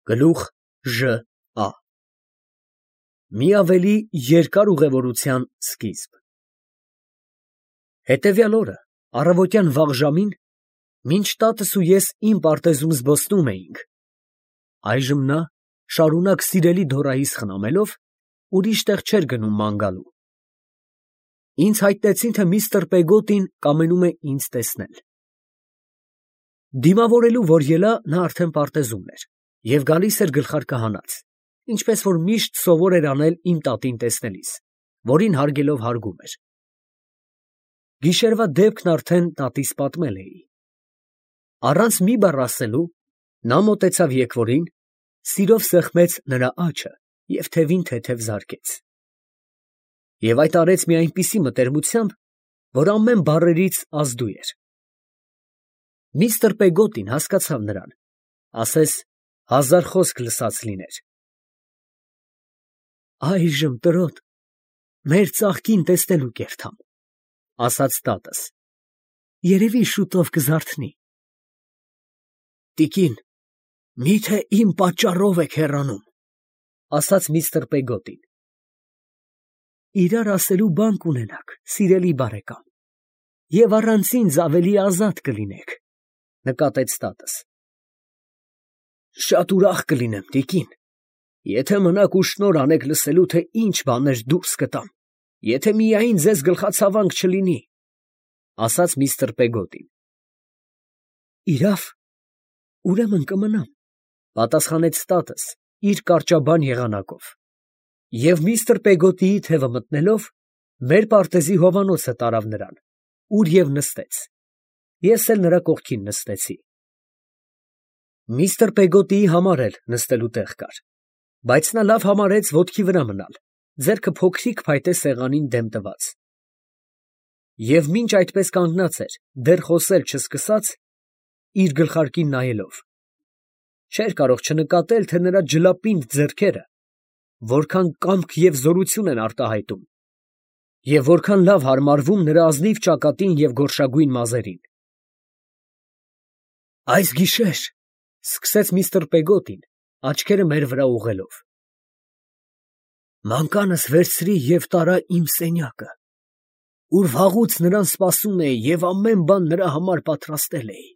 Գլուխ Ժ Ա Մի ավելի երկար ուղևորության սկիզբ։ Հետևյալ օրը առավոտյան վաղ ժամին, մինչ տատս ու ես իմ պարտեզում զբոսնում էինք, այժմ նա շարունակ սիրելի դորայիս խնամելով ուրիշ տեղ չէր գնում ման գալու։ Ինձ հայտնեցին, թե միստր Պեգոտին կամենում է ինձ տեսնել։ Դիմավորելու որ ելա, նա արդեն պարտեզումն էր և գալիս էր գլխարկահանած, ինչպես որ միշտ սովոր էր անել իմ տատին տեսնելիս, որին հարգելով հարգում էր։ Գիշերվա դեպքն արդեն տատիս պատմել էի։ Առանց մի բառ ասելու, նա մոտեցավ եկվորին, սիրով սեղմեց նրա աջը և թևին թեթև զարկեց։ Եվ այդ արեց մի այնպիսի մտերմությամբ, որ ամեն բառերից ազդու էր։ Միստր Պեգոտին հասկացավ նրան, ասես 1000 խոսք լսած լիներ։ Այժմ, տրոտ, մեր ծաղկին տեսնելու կերթամ, ասաց տատս, երևի շուտով կզարթնի։ Տիկին, միթե իմ պատճառով եք հեռանում, ասաց միստր Պեգոտին։ Իրար ասելու բան կունենաք, սիրելի բարեկամ, և առանց ինձ ավելի ազատ կլինեք, նկատեց տատս։ Շատ ուրախ կլինեմ, տիկին, եթե մնաք ու շնորհ անեք լսելու, թե ինչ բաներ դուրս կտամ, եթե միայն ձեզ գլխացավանք չլինի, ասաց միստր Պեգոտին։ Իրավ, ուրեմն կմնամ, պատասխանեց տատս իր կարճաբան եղանակով, և միստր Պեգոտիի թևը մտնելով, մեր պարտեզի հովանոցը տարավ նրան, ուր և նստեց, ես էլ նրա կողքին նստեցի։ Միստր Պեգոտիի համար էլ նստելու տեղ կար, բայց նա լավ համարեց ոտքի վրա մնալ, ձեռքը փոքրիկ փայտե սեղանին դեմ տված։ Եվ մինչ այդպես կանգնած էր, դեռ խոսել չսկսած, իր գլխարկին նայելով, չէր կարող չնկատել, թե նրա ջլապինդ ձեռքերը որքան կամք և զորություն են արտահայտում, և որքան լավ հարմարվում նրա ազնիվ ճակատին և գորշագույն մազերին։ Այս գիշեր, սկսեց միստր Պեգոտին, աչքերը մեր վրա ուղղելով, մանկանս վերցրի և տարա իմ սենյակը, ուր վաղուց նրան սպասում էի և ամեն բան նրա համար պատրաստել էի։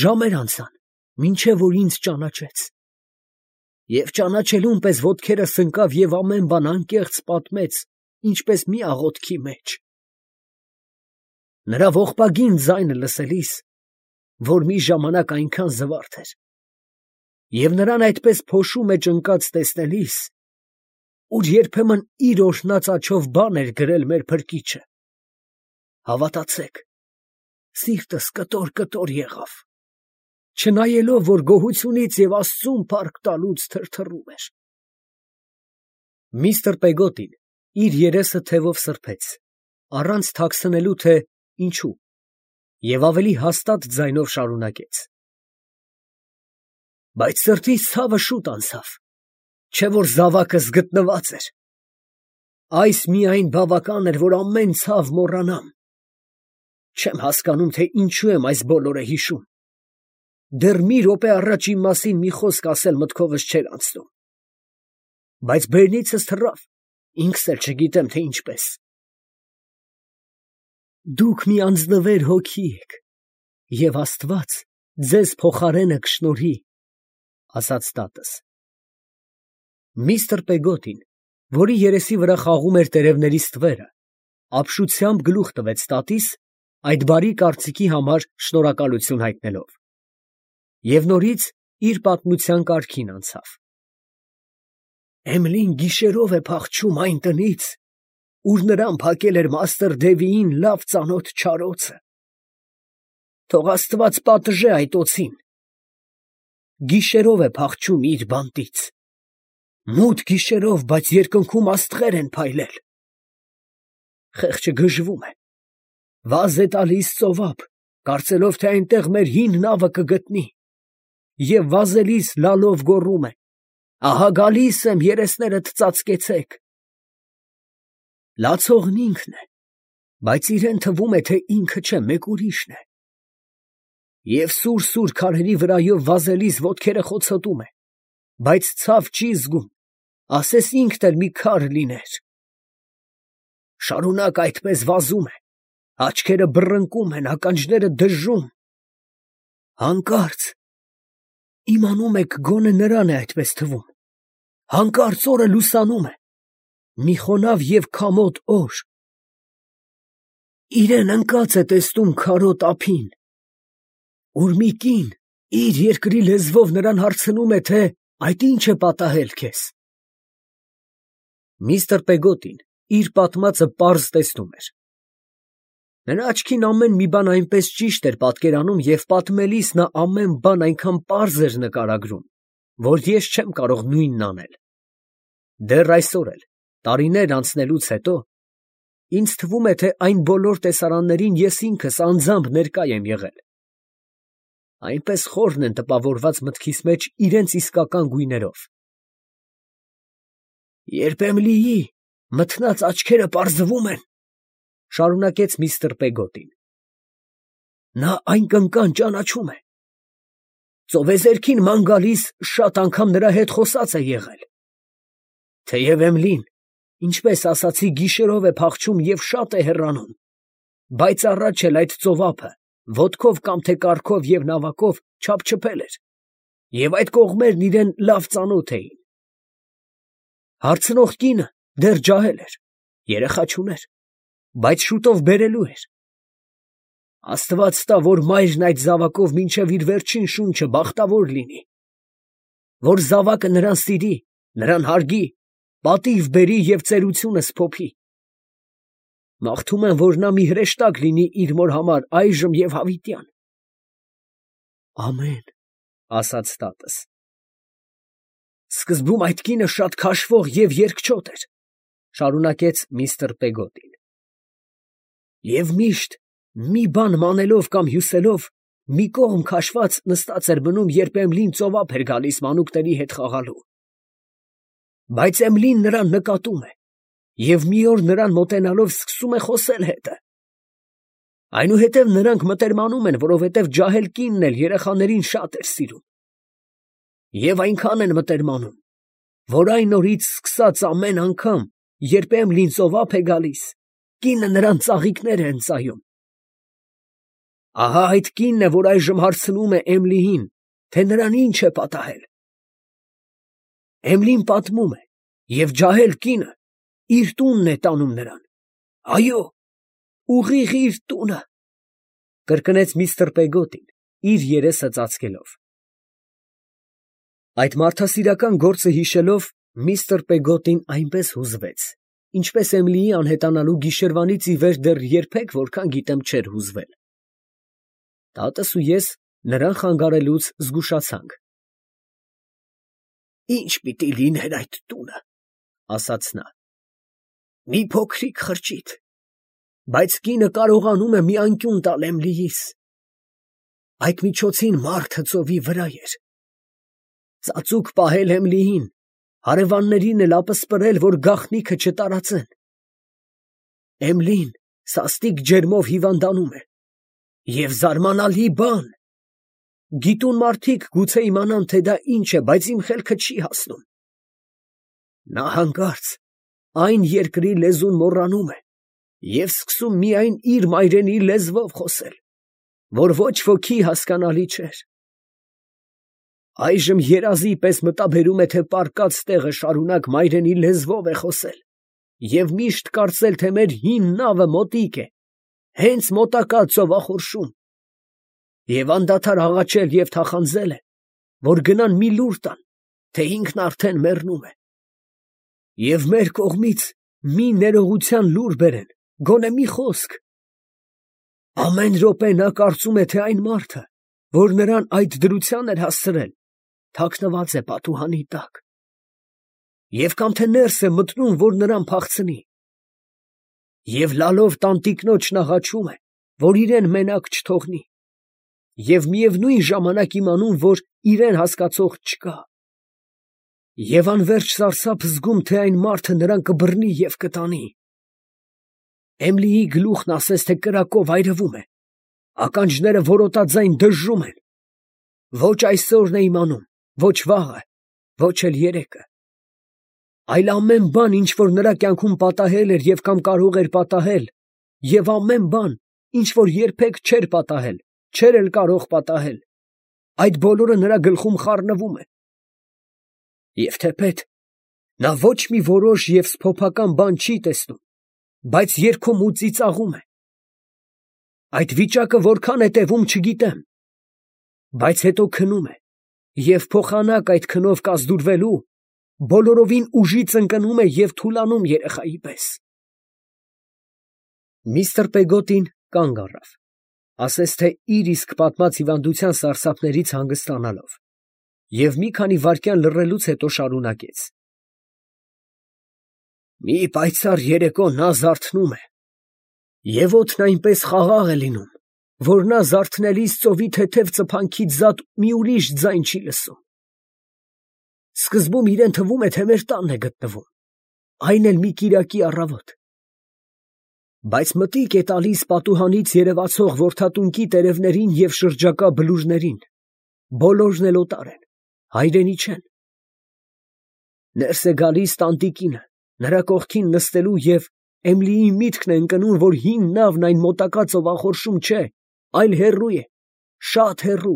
Ժամեր անցան, մինչև որ ինձ ճանաչեց, և ճանաչելուն պես ոտքերս ընկավ և ամեն բան անկեղծ պատմեց, ինչպես մի աղոթքի մեջ։ Նրա ողբագին ձայնը լսելիս, որ մի ժամանակ այնքան զվարթ էր, և նրան այդպես փոշու մեջ ընկած տեսնելիս, ուր երբեմն իր օրհնած աջով բան էր գրել մեր փրկիչը, հավատացեք, սիրտս կտոր եղավ, չնայելով, որ գոհությունից և Աստծուն փառք տալուց թրթռում էր։ Միստր Պեգոտին իր երեսը թևով սրբեց, առանց թաքցնելու, թե ինչու, և ավելի հաստատ ձայնով շարունակեց. Բայց սրտիս ցավը շուտ անցավ, չէ որ զավակս գտնված էր։ Այս միայն բավական էր, որ ամեն ցավ մոռանամ։ Չեմ հասկանում, թե ինչու եմ այս բոլորը հիշում։ Դեռ մի րոպե առաջ իմ մասին մի խոսք ասել մտքովս չէր անցնում։ Բայց բերնիցս թռավ, ինքս էլ չգիտեմ, թե ինչպես։ Դուք մի անձնվեր հոգի եք, և Աստված ձեզ փոխարենը կշնորհի, ասաց տատս։ Միստր Պեգոտին, որի երեսի վրա խաղում էր տերևների ստվերը, ապշությամբ գլուխ տվեց տատիս, այդ բարի կարծիքի համար շնորհակալություն հայտնելով, և նորից իր պատմության կարգին անցավ։ Էմլին գիշերով է փախչում այն տնից, ուր նրան փակել էր մաստր Դևիին լավ ծանոթ չարոցը։ Թող Աստված պատժե այդ օձին։ Գիշերով է փախչում իր բանտից։ Մութ գիշերով, բայց երկնքում աստղեր են փայլել։ Խեղճը գժվում է, վազ է տալիս ծովափ, կարծելով, թե այնտեղ մեր հին նավը կգտնի, և վազելիս լալով գոռում է. ահա գալիս եմ, երեսներդ ծածկեցեք։ Լացողն ինքն է, բայց իրեն թվում է, թե ինքը չէ, մեկ ուրիշն է։ Եվ սուր քարերի վրայով վազելիս ոտքերը խոցոտում է, բայց ցավ չի զգում, ասես ինքն էլ մի քար լիներ։ Շարունակ այդպես վազում է, աչքերը բռնկում են, ականջները դժում։ Հանկարծ իմանում եք, գոնե նրան է այդպես թվում։ Հանկարծ օրը լուսանում է, մի խոնավ և քամոտ օր։ Իրեն ընկած է տեսնում քարոտ ափին, ուր մի կին իր երկրի լեզվով նրան հարցնում է, թե այդ ինչ է պատահել քեզ։ Միստր Պեգոտին իր պատմածը պարզ տեսնում էր։ Նրա աչքին ամեն մի բան այնպես ճիշտ էր պատկերանում և պատմելիս նա ամեն բան այնքան պարզ էր նկարագրում, որ ես չեմ կարող նույնն անել։ Դեռ այսօր էլ, տարիներ անցնելուց հետո, ինձ թվում է, թե այն բոլոր տեսարաններին ես ինքս անձամբ ներկա եմ եղել։ Այնպես խորն են տպավորված մտքիս մեջ իրենց իսկական գույներով։ Երբ Էմիլիի մթնած աչքերը պարզվում են, շարունակեց միստր Պեգոտին, նա այն կնկան ճանաչում է։ Ծովեզերքին ման գալիս շատ անգամ նրա հետ խոսած է եղել։ Թեև Էմիլին, ինչպես ասացի, գիշերով է փախչում և շատ է հեռանում, բայց առաջ էլ այդ ծովափը ոտքով կամ թե կառքով և նավակով չափչփել էր, և այդ կողմերն իրան լավ ծանոթ էին։ Հարցնող կինը դեռ ջահել էր, երեխա չուներ, բայց շուտով բերելու էր։ Աստված տա, որ մայրն այդ զավակով մինչև իր վերջին շունչը բախտավոր լինի, որ զավակը նրան սիրի, նրան հարգի, պատիվ բերի և ծերությունս սփոփի։ Մաղթում եմ, որ նա մի հրեշտակ լինի իր մոր համար այժմ և հավիտյան։ Ամեն, ասաց տատս։ Սկզբում այդ կինը շատ քաշվող և երկչոտ էր, շարունակեց միստր Պեգոտին։ Եվ միշտ մի բան մանելով կամ հյուսելով, մի կողմ քաշված նստած էր մնում, երբ Էմիլին ծովափ էր գալիս մանուկների հետ խաղալու։ Բայց Էմիլին նրան նկատում է, և մի օր նրան մոտենալով սկսում է խոսել հետը։ Այնուհետև նրանք մտերմանում են, որովհետև ջահել կինն էլ երեխաներին շատ էր սիրում։ Եվ այնքան են մտերմանում, որ այն օրից սկսած ամեն անգամ, երբ Էմիլին ծովափ է գալիս, կինը նրան ծաղիկներ է ընծայում։ Ահա այդ կինն է, որ այժմ հարցնում է Էմիլիին, թե նրան ինչ է պատահել։ Էմիլին պատմում է, և ջահել կինը իր տունն է տանում նրան։ Այո, ուղիղ իր տունը, կրկնեց միստր Պեգոտին, իր երեսը ծածկելով։ Այդ մարդասիրական գործը հիշելով, միստր Պեգոտին այնպես հուզվեց, ինչպես Էմիլիի անհետանալու գիշերվանից ի վեր դեռ երբեք որքան գիտեմ չէր հուզվել։ Տատս ու ես նրան խանգարելուց զգուշացանք։ Ի՞նչ պիտի լիներ այդ տունը, ասաց նա։ Մի փոքրիկ խրճիթ, բայց կինը կարողանում է մի անկյուն տալ Էմիլիիս։ Այդ միջոցին մարդը ծովի վրա էր։ Ծածուկ պահել Էմիլիին, հարևաններին էլ ապսպրել, որ գաղտնիքը չտարածեն։ Էմիլին սաստիկ ջերմով հիվանդանում է։ Եվ զարմանալի բան, գիտուն մարդիկ գուցե իմանան, թե դա ինչ է, բայց իմ խելքը չի հասնում։ Նա հանկարծ այն երկրի լեզուն մոռանում է և սկսում միայն իր մայրենի լեզվով խոսել, որ ոչ ոքի հասկանալի չէր։ Այժմ երազի պես մտաբերում է, թե պառկած տեղը շարունակ մայրենի լեզվով է խոսել և միշտ կարծել, թե մեր հին նավը մոտիկ է, հենց մոտակա ծովախորշում, և անդադար աղաչել և թախանձել է, որ գնան մի լուր տան, թե ինքն արդեն մեռնում է, և մեր կողմից մի ներողության լուր բերեն, գոնե մի խոսք։ Ամեն րոպե նա կարծում է, թե այն մարդը, որ նրան այդ դրության էր հասցրել, թաքնված է պատուհանի տակ, և կամ թե ներս է մտնում, որ նրան փախցնի, և լալով տանտիկնոջն աղաչում է, որ իրեն մենակ չթողնի, և միևնույն ժամանակ իմանում, որ իրեն հասկացող չկա, և անվերջ սարսափ զգում, թե այն մարդը նրան կբռնի և կտանի։ Էմիլիի գլուխն ասես թե կրակով այրվում է, Ականջները որոտաձայն դժժում են։ Ոչ այսօրն է իմանում, ոչ վաղը, ոչ էլ երեկը։ Այլ ամեն բան, ինչ որ նրա կյանքում պատահել էր և կամ կարող էր պատահել, և ամեն բան, ինչ որ երբեք չէր պատահել, չէր էլ կարող պատահել, այդ բոլորը նրա գլխում խառնվում է։ Եվ թեպետ նա ոչ մի որոշ և սփոփական բան չի տեսնում, բայց երգում ու ծիծաղում է։ Այդ վիճակը որքան է տևում, չգիտեմ, բայց հետո քնում է և փոխանակ այդ քնով կազդուրվելու, բոլորովին ուժից ընկնում է և թուլանում երեխայի պես։ Միստր Պեգոտին կանգ առավ, ասես թե իր իսկ պատմած հիվանդության սարսափներից հանգստանալով, և մի քանի վայրկյան լռելուց հետո շարունակեց. Մի պայծառ երեկո նա զարթնում է, և օդն այնպես խաղաղ է լինում, որ նա զարթնելիս ծովի թեթև ծփանքից զատ մի ուրիշ ձայն չի լսում։ Սկզբում իրան թվում է, թե մեր տանն է գտնվում, այն էլ մի կիրակի առավոտ։ Բայց մտիկ է տալիս պատուհանից երևացող որդատունկի տերևներին և շրջակա բլուրներին, բոլորն էլ օտար են, հայրենի չեն։ Ներս է գալիս տանտիկինը, նրա կողքին նստելու և Էմիլիի միտքն է ընկնում, որ հին նավն այն մոտակա ծովախորշում չէ, այլ հեռու է, շատ հեռու։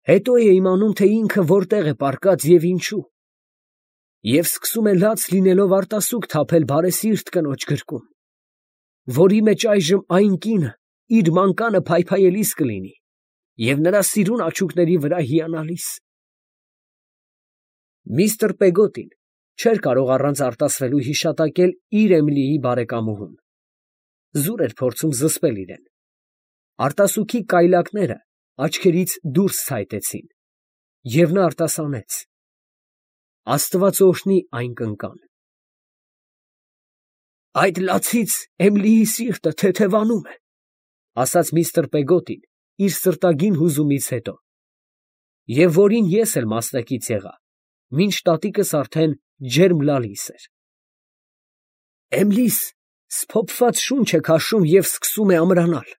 Հետո է իմանում, թե ինքը որտեղ է պառկած և ինչու, և սկսում է լաց լինելով արտասուք թափել բարեսիրտ կնոջ գրկում, որի մեջ այժմ այն կինը իր մանկանը փայփայելիս կլինի և նրա սիրուն աչուկների վրա հիանալիս։ Միստր Պեգոտին չէր կարող առանց արտասվելու հիշատակել իր Էմիլիի բարեկամուհուն։ Զուր էր փորձում զսպել իրեն։ Արտասուքի կայլակները աչքերից դուրս ցայտեցին, և նա արտասանեց. Աստված օրհնի այն կնկան։ Այդ լացից Էմիլիի սիրտը թեթևանում է, ասաց միստր Պեգոտին իր սրտագին հուզումից հետո, և որին ես էլ մասնակից եղա, մինչ տատիկս արդեն ջերմ լալիս էր։ Էմլիս սփոփված շունչ է քաշում և սկսում է ամրանալ։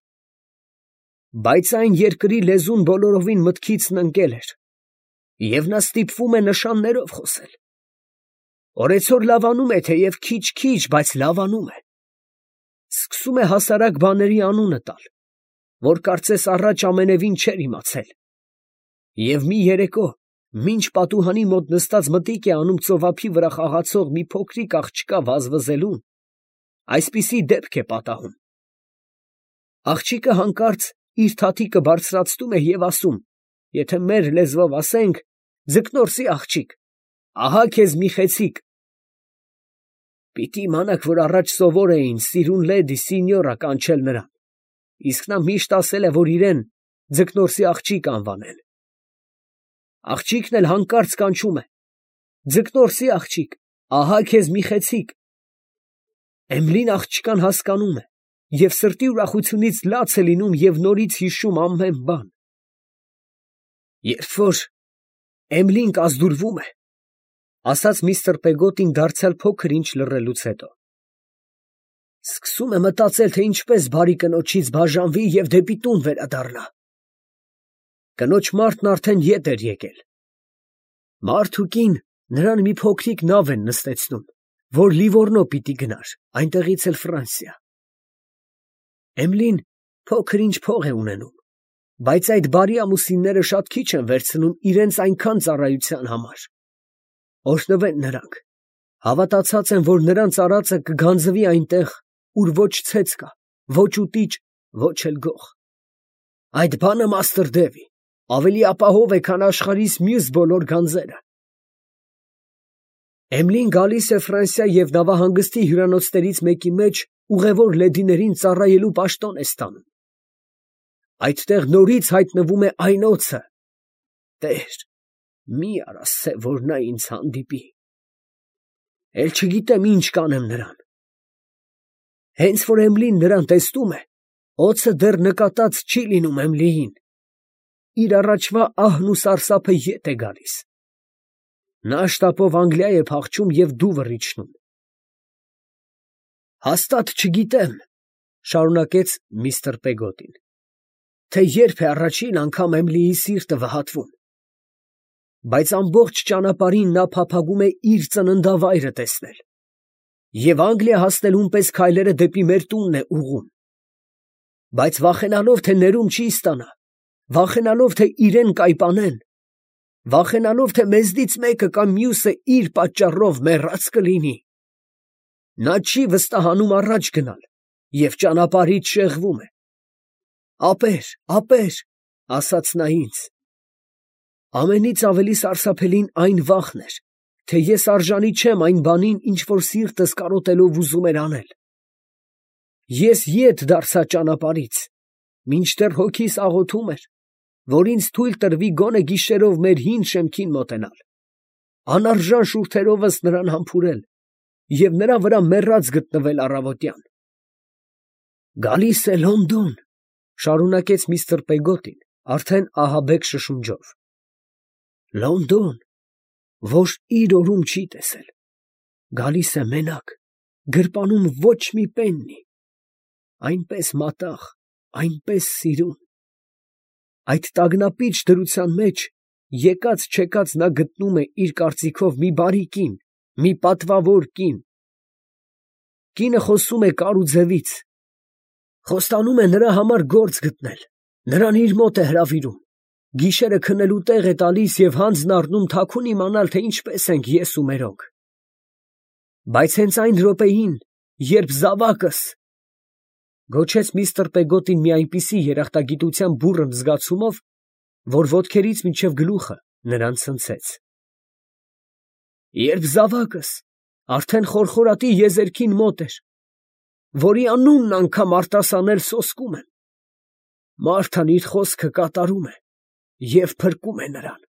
Բայց այն երկրի լեզուն բոլորովին մտքիցն ընկել էր, և նա ստիպվում է նշաններով խոսել։ Օրեցօր լավանում է, թեև քիչ, բայց լավանում է։ Սկսում է հասարակ բաների անունը տալ, որ կարծես առաջ ամենևին չէր իմացել։ Եվ մի երեկո, մինչ պատուհանի մոտ նստած մտիկ է անում ծովափի վրա խաղացող մի փոքրիկ աղջկա վազվզելուն, այսպիսի դեպք է պատահում. աղջիկը հանկարծ իր թաթիկը բարձրացնում է և ասում, եթե մեր լեզվով ասենք, ձկնորսի աղջիկ, ահա քեզ մի խեցիկ։ Պիտի իմանաք, որ առաջ սովոր էին սիրուն լեդի սինյորա կանչել նրան, իսկ նա միշտ ասել է, որ իրեն ձկնորսի աղջիկ անվանեն։ Աղջիկն էլ հանկարծ կանչում է. ձկնորսի աղջիկ, ահա քեզ մի խեցիկ։ Էմլին աղջկան հասկանում է և սրտի ուրախությունից լաց է լինում և նորից հիշում ամեն բան։ Երբ որ Էմլին կազդուրվում է, ասաց միստր Պեգոտին դարձյալ փոքր ինչ լռելուց հետո, սկսում է մտածել, թե ինչպես բարի կնոջից բաժանվի և դեպի տուն վերադառնա։ Կնոջ մարդն արդեն ետ էր եկել։ Մարդ ու կին նրան մի փոքրիկ նավ են նստեցնում, որ Լիվորնո պիտի գնար, այնտեղից էլ Ֆրանսիա։ Էմլին փոքր ինչ փող է ունենում, բայց այդ բարի ամուսինները շատ քիչ են վերցնում իրենց այնքան ծառայության համար։ Օրհնվեն նրանք, հավատացած են, որ նրանց արածը կգանձվի այնտեղ, ուր ոչ ցեց կա, ոչ ուտիճ, ոչ էլ գող։ Այդ բանը, մաստր Դևի, ավելի ապահով է, քան աշխարհիս մյուս բոլոր գանձերը։ Էմլին գալիս է Ֆրանսիա և նավահանգստի հյուրանոցներից մեկի մեջ ուղևոր լեդիներին ծառայելու պաշտոն է ստանում։ Այդտեղ նորից հայտնվում է այն օձը. Տեր, մի արա սե, որ նա ինձ հանդիպի։ Էլ չգիտեմ ինչ կանեմ նրան։ Հենց որ Էմլին նրան տեսնում է, օձը դեռ նկատած չի լինում Էմլիին։ Իր առաջվա ահն ու սարսափը ետ է գալիս։ Նա շտապով Անգլիա է փախչում և դուվր իջնում։ Հաստատ չգիտեմ, Շարունակեց միստր Պեգոտին, թե երբ է առաջին անգամ Էմիլիի սիրտը վհատվում, բայց ամբողջ ճանապարհին նա փափագում է իր ծննդավայրը տեսնել, և Անգլիա հասնելուն պես քայլերը դեպի մեր տունն է ուղղում, բայց վախենալով, թե ներում չի ստանա, վախենալով, թե իրեն կայպանեն, վախենալով, թե մեզնից մեկը կամ մյուսը իր պատճառով մեռած կլինի, նա չի վստահանում առաջ գնալ և ճանապարհից շեղվում է։ «Ապեր, ապեր», ասաց նա ինձ։ Ամենից ավելի սարսափելին այն վախն էր, թե ես արժանի չեմ այն բանին, ինչ որ սիրտս կարոտելով ուզում էր անել։ Ես ետ դարձա ճանապարհից, մինչդեռ հոգիս աղոթում էր, որ ինձ թույլ տրվի գոնե գիշերով մեր հին շեմքին մոտենալ, անարժան շուրթերովս նրան համբուրել և նրա վրա մեռած գտնվել առավոտյան։ «Գալիս է Լոնդոն», շարունակեց միստր Պեգոտին, արդեն ահաբեկ շշունջով։ «Լոնդոն, որ իր օրում չի տեսել, գալիս է մենակ, գրպանում ոչ մի պեննի, այնպես մատաղ, այնպես սիրուն։ Այդ տագնապիչ դրության մեջ եկած֊չեկած նա գտնում է իր կարծիքով մի բարի կին, մի պատվավոր կին։ Կինը խոսում է կար ու ձևից, խոստանում է նրա համար գործ գտնել, նրան իր մոտ է հրավիրում, գիշերը քնելու տեղ է տալիս և հանձն առնում թաքուն իմանալ, թե ինչպես ենք ես ու մերոնք։ Բայց հենց այն րոպեին, երբ զավակս, գոչեց միստր Պեգոտին մի այնպիսի երախտագիտության բուռն զգացումով, որ ոտքերից մինչև գլուխը նրան ցնցեց, երբ զավակս արդեն խորխորատի եզերքին մոտ էր, որի անունն անգամ արտասանել սոսկում եմ, Մարթան իր խոսքը կատարում է և փրկում է նրան։